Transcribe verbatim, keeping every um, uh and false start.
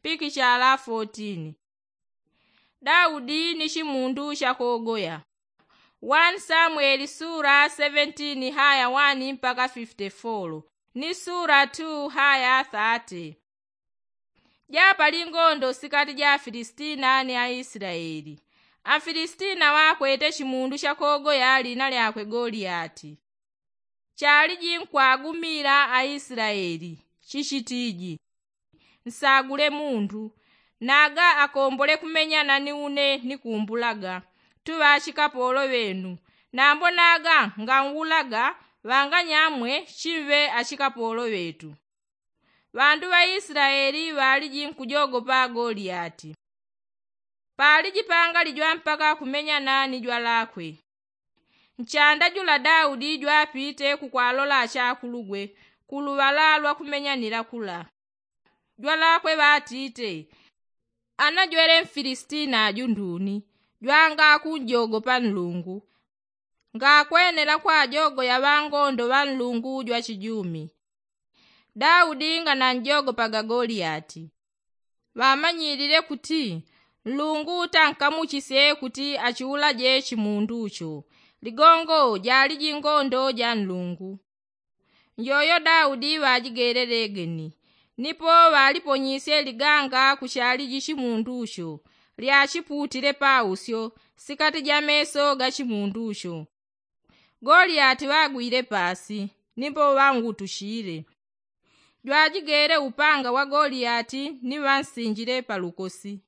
pikishala fotin. Daudi ni chimundu chakogoya. Wani samweli sula seventin haya wani mpaka fifti folo, ni sula tu haya thate. Japali ngondo sikati ja afilistina ni aislaeli. Afilistina wakwete chimundu chakogoya lina lyakwe goliati. Chaliji nkwagumila aislaeli, chichitiji, nsagule mundu naga akombole kumenyana ni une nikumbulaga, tuŵa achikapolo ŵenu. Nambo naga nganwulaga ŵanganyamwe chimve achikapolo ŵetu. Ŵandu ŵa islaeli ŵaliji nkujogopa goliati. Paliji pangali jwa mpaka kumenyana ni jwalakwe. Nchanda jula daudi jwapite kukwalola achakulugwe kuluŵala lwa kumenyanila kula. Jwalakwe ŵatite, ana jwele mfilistina aju nduni jwangakunjogopa nlungu? Ngakwenela kwajogoya ŵangondo ŵa nlungu jwa chijumi. Daudi ngananjogopaga goliati. Ŵamanyilile kuti nlungu tankamuchisye kuti achiulaje chimundu cho. Ligongo jaliji ngondo ja nlungu. Njoyo daudi ŵajigelelegeni, nipo ŵaliponyisye liganga kuchaliji chimundu cho. Lyachiputile pausyo sikati ja meso ga chimundu cho. Goliati ŵagwile pasi, nipo ŵangutushile. Jwajigele upanga wa goliati ni ŵansinjile palukosi.